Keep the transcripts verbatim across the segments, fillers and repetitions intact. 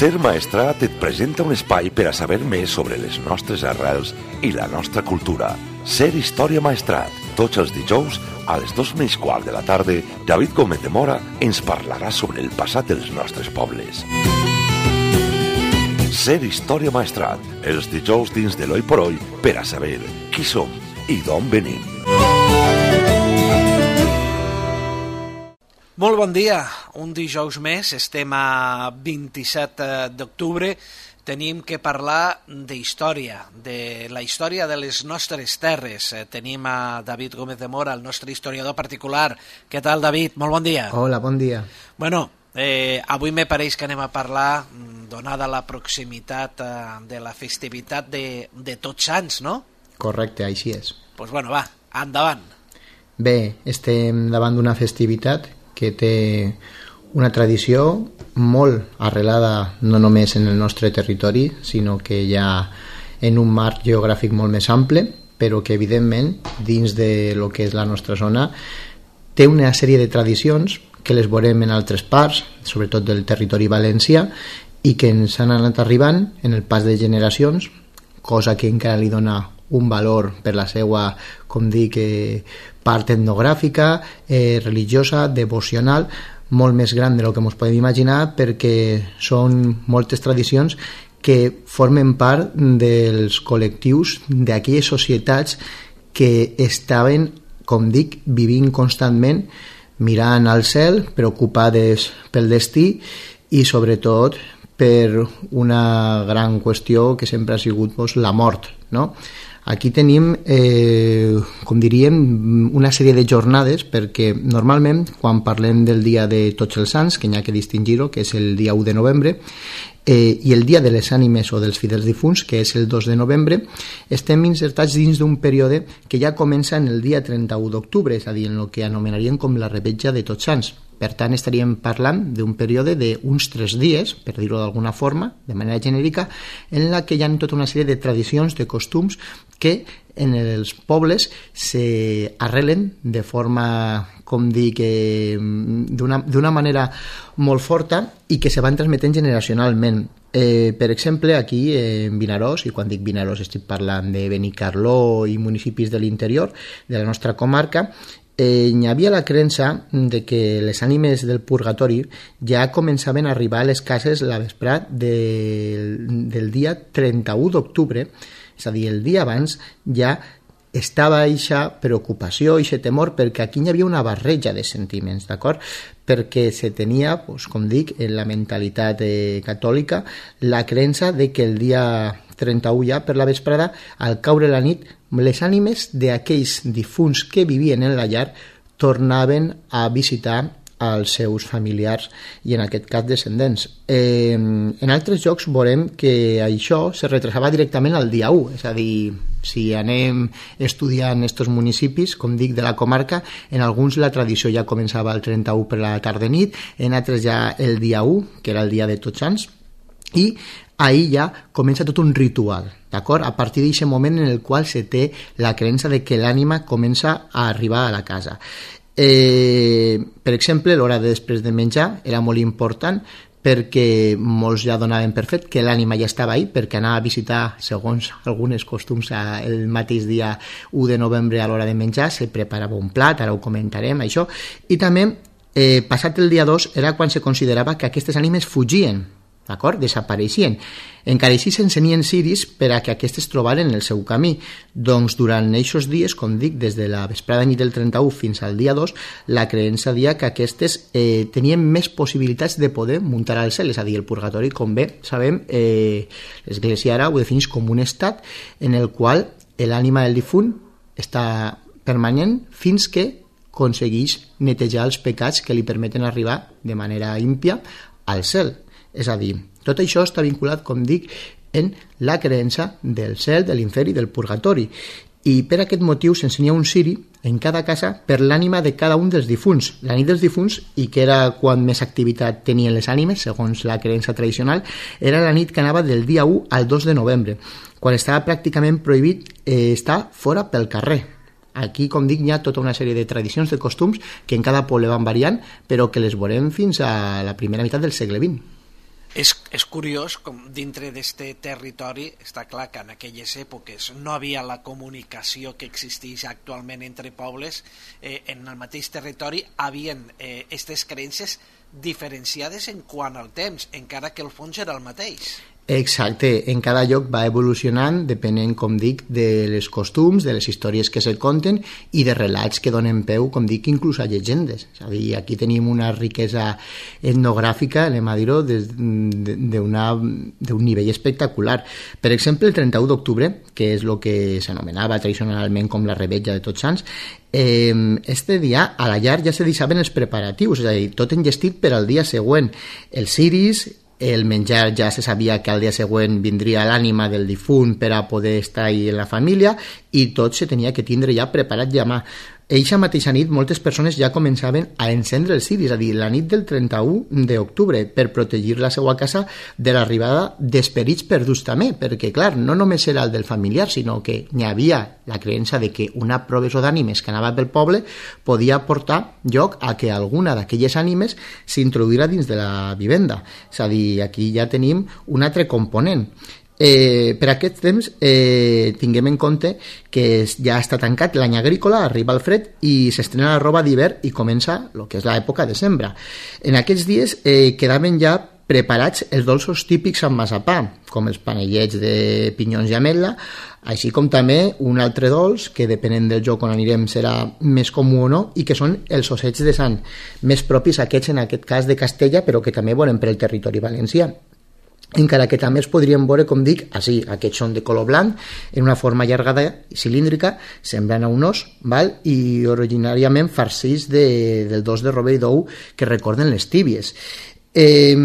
Ser Maestrat et presenta un espai per a saber més sobre les nostres arrels i la nostra cultura. Ser Història Maestrat. Tots els dijous, a les dos menys quart de la tarda, David Gómez de Mora ens parlarà sobre el passat dels nostres pobles. Ser Història Maestrat. Els dijous dins de l'Oi por Oi per a saber qui som i d'on venim. Molt bon dia, un dijous més, estem a vint-i-set d'octubre, tenim que parlar d'història, de la història de les nostres terres. Tenim a David Gómez de Mora, el nostre historiador particular. Què tal, David? Molt bon dia. Hola, bon dia. Bueno, eh, avui me pareix que anem a parlar, donada la proximitat eh, de la festivitat de, de Tots Sants, no? Correcte, així és. Doncs pues bueno, va, endavant. Bé, estem davant d'una festivitat que té una tradició molt arrelada no només en el nostre territori, sinó que ja en un marc geogràfic molt més ample, però que evidentment dins de lo que és la nostra zona té una sèrie de tradicions que les veurem en altres parts, sobretot del territori valencià, i que ens han anat arribant en el pas de generacions, cosa que encara li dona un valor per la seva, com dic, eh, part etnogràfica, eh, religiosa, devocional, molt més gran de lo que ens podem imaginar, perquè són moltes tradicions que formen part dels col·lectius d'aquelles societats que estaven, com dic, vivint constantment, mirant al cel, preocupades pel destí i sobretot per una gran qüestió que sempre ha sigut doncs, la mort, no? Aquí tenim, eh, com diríem, una sèrie de jornades, perquè normalment quan parlem del dia de Tots els Sants, que n'hi ha que distingir-ho, que és el dia u de novembre, eh, i el dia de les ànimes o dels fidels difunts, que és el dos de novembre, estem insertats dins d'un període que ja comença en el dia trenta-u d'octubre, és a dir, en el que anomenaríem com la revetlla de Tots Sants. Per tant, estaríem parlant d'un període d'uns tres dies, per dir-ho d'alguna forma, de manera genèrica, en la que hi ha tota una sèrie de tradicions, de costums, que en els pobles s'arrelen de forma, com dic, eh, d'una manera molt forta i que se van transmetent generacionalment. Eh, per exemple, aquí eh, en Vinaròs, i quan dic Vinaròs estic parlant de Benicarló i municipis de l'interior de la nostra comarca, Eh, hi havia la creença de que les ànimes del purgatori ja començaven a arribar a les cases la vesprada de, del dia trenta-u d'octubre, és a dir, el dia abans ja estava eixa preocupació, eixe temor, perquè aquí hi havia una barreja de sentiments, d'acord? Perquè se tenia, doncs, com dic, en la mentalitat eh, catòlica, la creença de que el dia trenta-u ja, per la vesprada, al caure la nit, les ànimes d'aquells difunts que vivien en la llar tornaven a visitar als seus familiars i en aquest cas descendents. Eh, en altres llocs veurem que això se retrasava directament al dia u, és a dir, si anem estudiant estos municipis, com dic, de la comarca, en alguns la tradició ja començava el trenta-u per la tarda-nit, en altres ja el dia u, que era el dia de Tots Sants, i ahir ja comença tot un ritual, d'acord? A partir d'aquest moment en el qual se té la creença de que l'ànima comença a arribar a la casa. Eh, per exemple, l'hora de després de menjar era molt important perquè molts ja donaven per fet que l'ànima ja estava ahí, perquè anava a visitar, segons algunes costums, el mateix dia u de novembre a l'hora de menjar, se preparava un plat, ara ho comentarem, això, i també, eh, passat el dia dos, era quan se considerava que aquestes ànimes fugien, d'acord? Desapareixien. Encara així s'encenien ciris per a que aquestes trobaren el seu camí. Doncs durant aquests dies, com dic, des de la vesprada nit del trenta-u fins al dia dos, la creença dia que aquestes eh, tenien més possibilitats de poder muntar al cel, és a dir, el purgatori, com bé sabem, eh, l'Església ara ho defineix com un estat en el qual l'ànima del difunt està permanent fins que aconsegueix netejar els pecats que li permeten arribar de manera ímpia al cel. És a dir, tot això està vinculat, com dic, en la creença del cel, de l'infern i del purgatori. I per aquest motiu s'ensenya un ciri en cada casa per l'ànima de cada un dels difunts. La nit dels difunts, i que era quan més activitat tenien les ànimes, segons la creença tradicional, era la nit que anava del dia u al dos de novembre, quan estava pràcticament prohibit eh, estar fora pel carrer. Aquí, com dic, hi ha tota una sèrie de tradicions, de costums, que en cada poble van variant, però que les veurem fins a la primera meitat del segle vint. És, és curiós com dintre d'este territori està clar que en aquelles èpoques no havia la comunicació que existeix actualment entre pobles, eh, en el mateix territori havien eh, aquestes creences diferenciades en quant al temps, encara que el fons era el mateix. Exacte, en cada lloc va evolucionant depenent, com dic, de les costums, de les històries que se conten i de relats que donen peu, com dic, inclús a llegendes. És a dir, aquí tenim una riquesa etnogràfica, anem a dir-ho, d'un nivell espectacular. Per exemple, el trenta-u d'octubre, que és el que s'anomenava tradicionalment com la Revetlla de Tots Sants, eh, este dia a la llar ja se deixaven els preparatius, és a dir, tot enllestit per al dia següent. Els ciris, el menjar ja se sabia que al dia següent vindria l'ànima del difunt per a poder estar ahí en la família i tot se tenia que tindre ja preparat ja a mà. Eixa mateixa nit moltes persones ja començaven a encendre els ciris, és a dir, la nit del trenta-u d'octubre, per protegir la seva casa de l'arribada d'esperits perduts també, perquè clar, no només era el del familiar, sinó que n'hi havia la creença de que una proveçó d'ànimes que anava pel poble podia portar lloc a que alguna d'aquelles ànimes s'introduïra dins de la vivenda. És a dir, aquí ja tenim un altre component. Eh, per aquest temps eh, tinguem en compte que ja està tancat l'any agrícola, arriba el fred i s'estrena la roba d'hivern i comença el que és l'època de sembra. En aquests dies eh, quedaven ja preparats els dolços típics amb massapà, com els panellets de pinyons i ametla, així com també un altre dolç que depenent del lloc on anirem serà més comú o no, i que són els ossets de sant, més propis aquests en aquest cas de Castella, però que també veurem per el territori valencià. Encara que també es podrien veure, com dic, així, aquests són de color blanc, en una forma allargada i cilíndrica, semblant a un os, val? I originàriament farcits de, del dos de rovell d'ou que recorden les tíbies. Eh,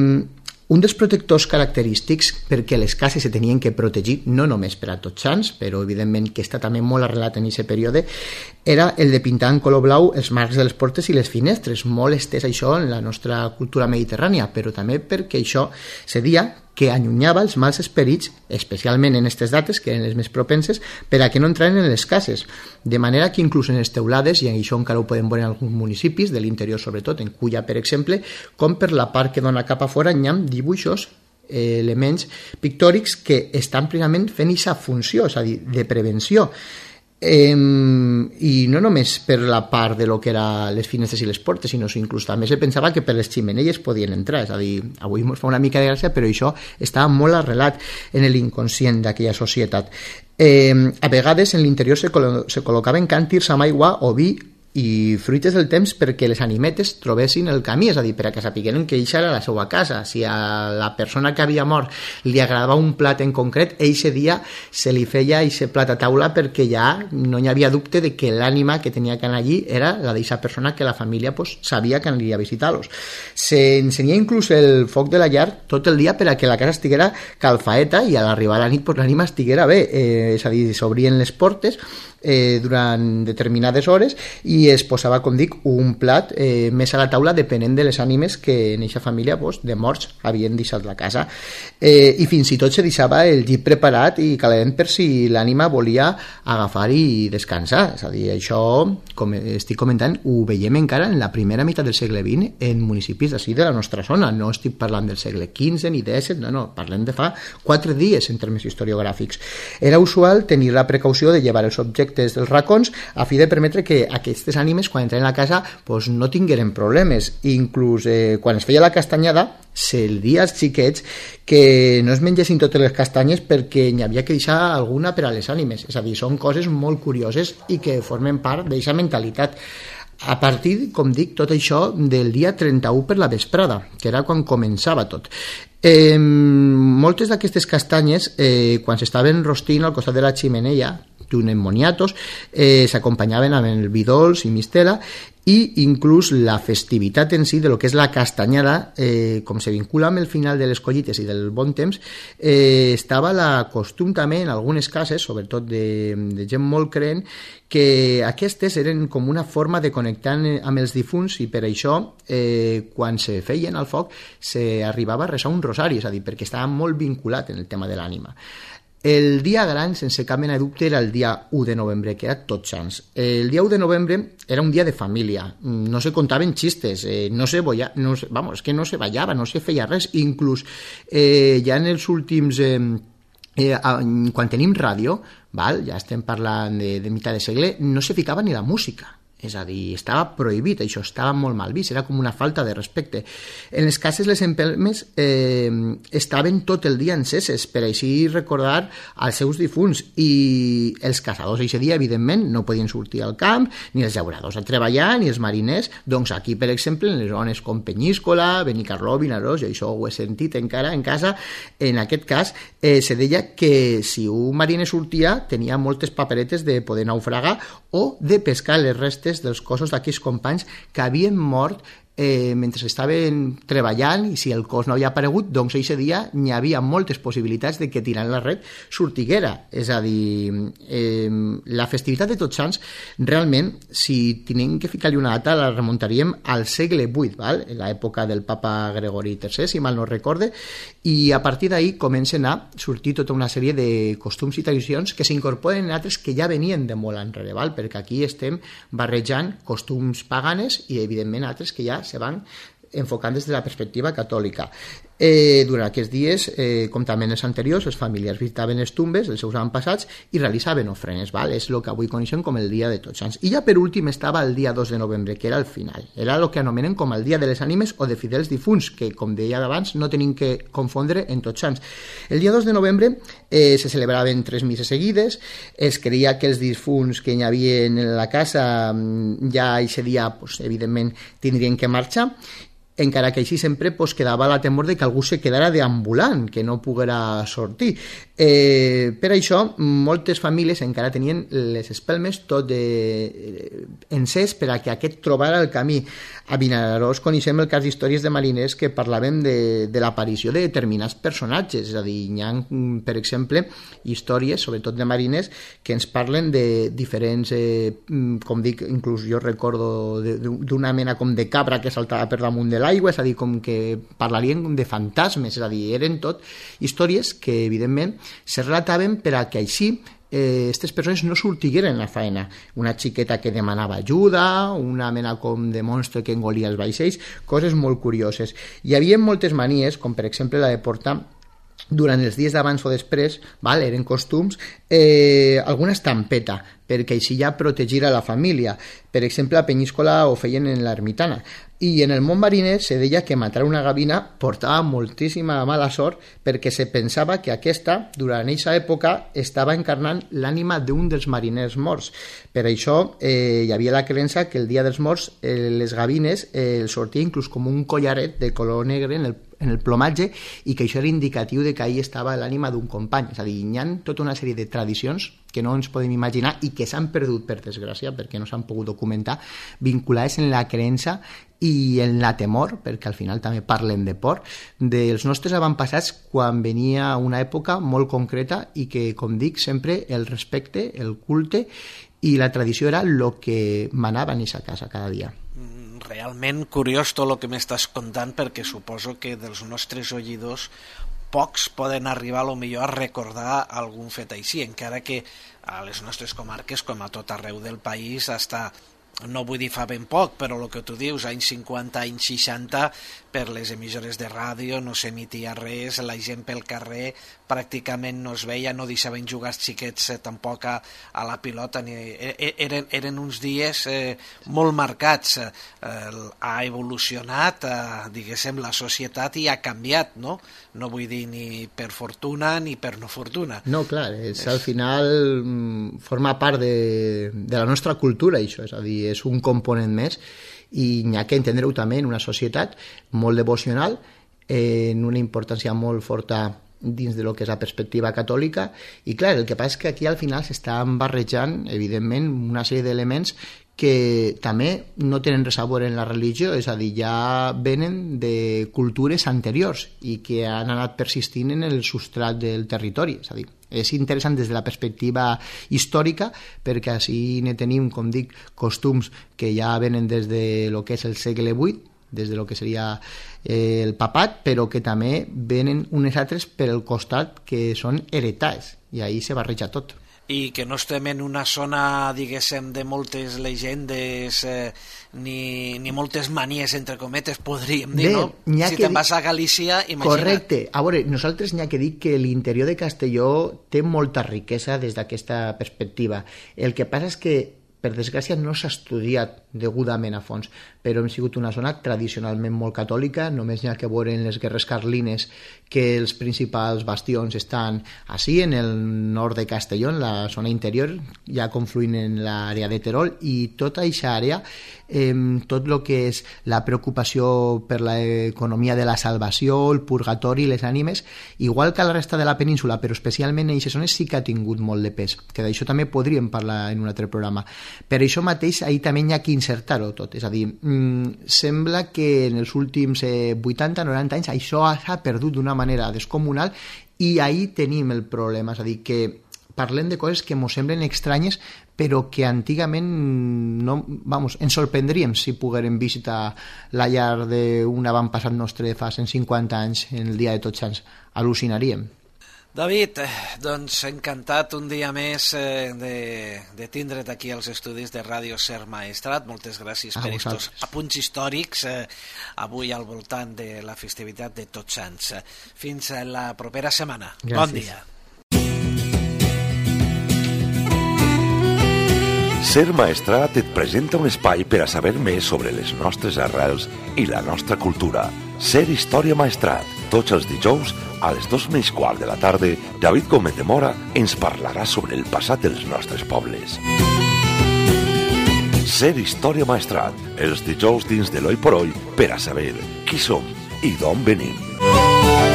un dels protectors característics, perquè les cases se tenien que protegir no només per a Tots Sants, però evidentment que està també molt arrelat en aquest període, era el de pintar en color blau els marcs de les portes i les finestres. Molt estès això en la nostra cultura mediterrània, però també perquè això se dia que allunyava els mals esperits, especialment en aquestes dates, que eren les més propenses, per a que no entraven en les cases. De manera que inclús en les teulades, i això encara ho podem veure en alguns municipis, de l'interior sobretot, en Culla, per exemple, com per la part que dona cap a fora, hi ha dibuixos, eh, elements pictòrics que estan plenament fent aquesta funció, és a dir, de prevenció. Eh, i no només per la part de lo que eren les finestres i les portes, sinó que inclús també se pensava que per les ximeneies podien entrar, és a dir, avui ens fa una mica de gràcia, però això estava molt arrelat en l'inconscient d'aquella societat. Eh, a vegades en l'interior se, col se col·locaven càntirs amb aigua o vi i fruites del temps perquè les animetes trobessin el camí, és a dir, per a que sapigueren que eixa era la seva casa. Si a la persona que havia mort li agradava un plat en concret, eixe dia se li feia eixe plat a taula perquè ja no hi havia dubte de que l'ànima que tenia que anar allí era la d'eixa persona que la família pues, sabia que aniria a visitar-los. Se encenia inclús el foc de la llar tot el dia per a que la casa estiguera calfaeta i a l'arribar a la nit pues, l'ànima estiguera bé, eh, és a dir, s'obrien les portes eh, durant determinades hores i es posava, com dic, un plat eh, més a la taula depenent de les ànimes que en eixa família pues, de morts havien deixat la casa. Eh, I fins i tot se deixava el llit preparat i calent per si l'ànima volia agafar i descansar. És a dir, això, com estic comentant, ho veiem encara en la primera meitat del segle vint en municipis d'ací de la nostra zona. No estic parlant del segle quinze ni disset, no, no, parlem de fa quatre dies en termes historiogràfics. Era usual tenir la precaució de llevar els objectes dels racons a fi de permetre que aquestes ànimes quan entren a casa pues, no tingueren problemes. Inclús eh, quan es feia la castanyada se'l dia als xiquets que no es mengessin totes les castanyes perquè n'hi havia que deixar alguna per a les ànimes. És a dir, són coses molt curioses i que formen part d'aquesta mentalitat. A partir, com dic, tot això del dia trenta-u per la vesprada, que era quan començava tot. Eh, moltes d'aquestes castanyes, eh, quan s'estaven rostint al costat de la ximeneia, junt amb moniatos, eh, s'acompanyaven amb el vi dolç i mistela i inclús la festivitat en si de lo que és la castanyada, eh, com se vincula amb el final de les collites i del bon temps, eh, estava la costum també en algunes cases, sobretot de, de gent molt creent, que aquestes eren com una forma de connectar amb els difunts i per això eh, quan se feien al foc s'arribava a resar un rosari, és a dir, perquè estava molt vinculat en el tema de l'ànima. El dia gran, sense cap mena de dubte, era el dia u de novembre, que era Tots Sants. El dia u de novembre era un dia de família, no se contaven xistes, eh, no se boia, no se, vamos, que no se ballava, no se feia res, inclús eh, ja en els últims... Eh, eh, quan tenim ràdio, val, ja estem parlant de, de mitjà de segle, no se ficava ni la música. És a dir, estava prohibit, això estava molt mal vist, era com una falta de respecte. En les cases les empelmes eh, estaven tot el dia enceses per així recordar als seus difunts, i els caçadors aquest dia, evidentment, no podien sortir al camp, ni els llauradors a treballar, ni els mariners. Doncs aquí, per exemple, en les zones com Penyíscola, Benicarló, Vinaròs, i això ho he sentit encara en casa, en aquest cas eh, se deia que si un mariner sortia tenia moltes paperetes de poder naufragar o de pescar les restes dels cossos d'aquells companys que havien mort eh, mentre estaven treballant, i si el cos no havia aparegut, doncs aquest dia n'hi havia moltes possibilitats de que tirant la red sortiguera. És a dir, eh, la festivitat de Tots Sants, realment, si tenim que ficar-li una data, la remuntaríem al segle vuit, val? En l'època del papa Gregori tercer, si mal no recorde, i a partir d'ahir comencen a sortir tota una sèrie de costums i tradicions que s'incorporen en altres que ja venien de molt enrere, val? Perquè aquí estem barrejant costums paganes i, evidentment, altres que ja se van enfocant des de la perspectiva catòlica. Eh, durant aquests dies, eh, com també en els anteriors, les famílies visitaven les tombes dels seus avantpassats i realitzaven ofrenes, val? És el que avui coneixem com el dia de Tots Sants. I ja per últim estava el dia dos de novembre, que era el final. Era el que anomenen com el dia de les ànimes o de fidels difunts, que, com deia abans, no tenim que confondre en Tots Sants. El dia dos de novembre eh, se celebraven tres misses seguides, es creia que els difunts que hi havia en la casa ja aquest dia, pues, evidentment, tindrien que marxar, encara que així sempre pues, quedava la temor de que algú se quedara deambulant, que no poguera sortir. Eh, per això, moltes famílies encara tenien les espelmes tot de, eh, encès per a que aquest trobara el camí. A Vinaròs coneixem el cas d'històries de mariners que parlaven de, de l'aparició de determinats personatges, és a dir, hi ha, per exemple, històries, sobretot de mariners, que ens parlen de diferents, eh, com dic, inclús jo recordo d'una mena com de cabra que saltava per damunt de l'aigua, és a dir, com que parlarien de fantasmes, és a dir, eren tot històries que, evidentment, se relataven per a que així aquestes eh, persones no sortigueren a la faena. Una xiqueta que demanava ajuda, una mena com de monstre que engolia els vaixells, coses molt curioses. Hi havia moltes manies, com per exemple la de portar durant els dies d'abans o després, val, eren costums, eh, alguna estampeta, perquè així ja protegir a la família. Per exemple, a Penyíscola ho feien en l'ermitana. I en el món mariner se deia que matar una gavina portava moltíssima mala sort perquè se pensava que aquesta, durant aquesta època, estava encarnant l'ànima d'un dels mariners morts. Per això eh, hi havia la creença que el dia dels morts eh, les gavines eh, els sortia inclús com un collaret de color negre en el, en el plomatge, i que això era indicatiu de que ahí estava l'ànima d'un company. És a dir, hi ha tota una sèrie de tradicions que no ens podem imaginar i que s'han perdut, per desgràcia, perquè no s'han pogut documentar, vinculades en la creença i en la temor, perquè al final també parlen de por, dels nostres avantpassats quan venia una època molt concreta i que, com dic, sempre el respecte, el culte i la tradició era el que manava en aquesta casa cada dia. Realment curiós tot el que m'estàs contant, perquè suposo que dels nostres oïdors pocs poden arribar a lo millor a recordar algun fet així, encara que a les nostres comarques, com a tot arreu del país, està, no vull dir fa ben poc, però el que tu dius, anys cinquanta, anys seixanta, per les emissores de ràdio no s'emitia res, la gent pel carrer pràcticament no es veia, no deixaven jugar els xiquets eh, tampoc a, a la pilota, ni, eren, eren uns dies eh, molt marcats. Eh, ha evolucionat, eh, diguéssim, la societat i ha canviat, no? No vull dir ni per fortuna ni per no fortuna. No, clar, és, al final forma part de, de la nostra cultura, això, és a dir, és un component més, i n'hi ha que entendre-ho també en una societat molt devocional, eh, en una importància molt forta dins de lo que és la perspectiva catòlica, i clar, el que passa és que aquí al final s'estan barrejant, evidentment, una sèrie d'elements que també no tenen res a veure en la religió, és a dir, ja venen de cultures anteriors i que han anat persistint en el substrat del territori, és a dir, és interessant des de la perspectiva històrica, perquè així ne tenim, com dic, costums que ja venen des de lo que és el segle vuit, des de lo que seria eh, el papat, però que també venen unes altres per el costat que són heretats, i ahí se barreja tot. I que no estem en una zona, diguéssim, de moltes llegendes eh, ni, ni moltes manies, entre cometes, podríem dir, Bé, no? Si te'n vas a Galícia, imagina't. Correcte. A veure, nosaltres n'hi ha que dir que l'interior de Castelló té molta riquesa des d'aquesta perspectiva. El que passa és que, per desgràcia, no s'ha estudiat degudament a fons, però hem sigut una zona tradicionalment molt catòlica, només n'hi ha que veure en les guerres carlines que els principals bastions estan així, en el nord de Castelló, en la zona interior, ja confluint en l'àrea de Terol, i tota aquesta àrea, eh, tot el que és la preocupació per l'economia de la salvació, el purgatori, les ànimes, igual que a la resta de la península, però especialment en aquestes zones sí que ha tingut molt de pes, que d'això també podríem parlar en un altre programa. Per això mateix, ahir també hi ha que insertar-ho tot, és a dir, mmm, sembla que en els últims eh, vuitanta noranta anys això s'ha perdut d'una manera descomunal i ahir tenim el problema, és a dir, que parlem de coses que ens semblen estranyes però que antigament no, vamos, ens sorprendríem si poguérem visitar la llar d'un avantpassat nostre fa cent cinquanta anys en el dia de Tots Sants, al·lucinaríem. David, doncs encantat un dia més eh, de, de tindre't aquí als estudis de Ràdio Ser Maestrat. Moltes gràcies a per aquests apunts històrics eh, avui al voltant de la festivitat de Tots Sants. Fins a la propera setmana. Gràcies. Bon dia. Ser Maestrat et presenta un espai per a saber més sobre les nostres arrels i la nostra cultura. Ser Història Maestrat. Tots els dijous, a les dos menys quart de la tarda, David Gómez de Mora ens parlarà sobre el passat dels nostres pobles. Ser Història Maestrat, els dijous dins de l'Oi por Oi, per a saber qui som i d'on venim.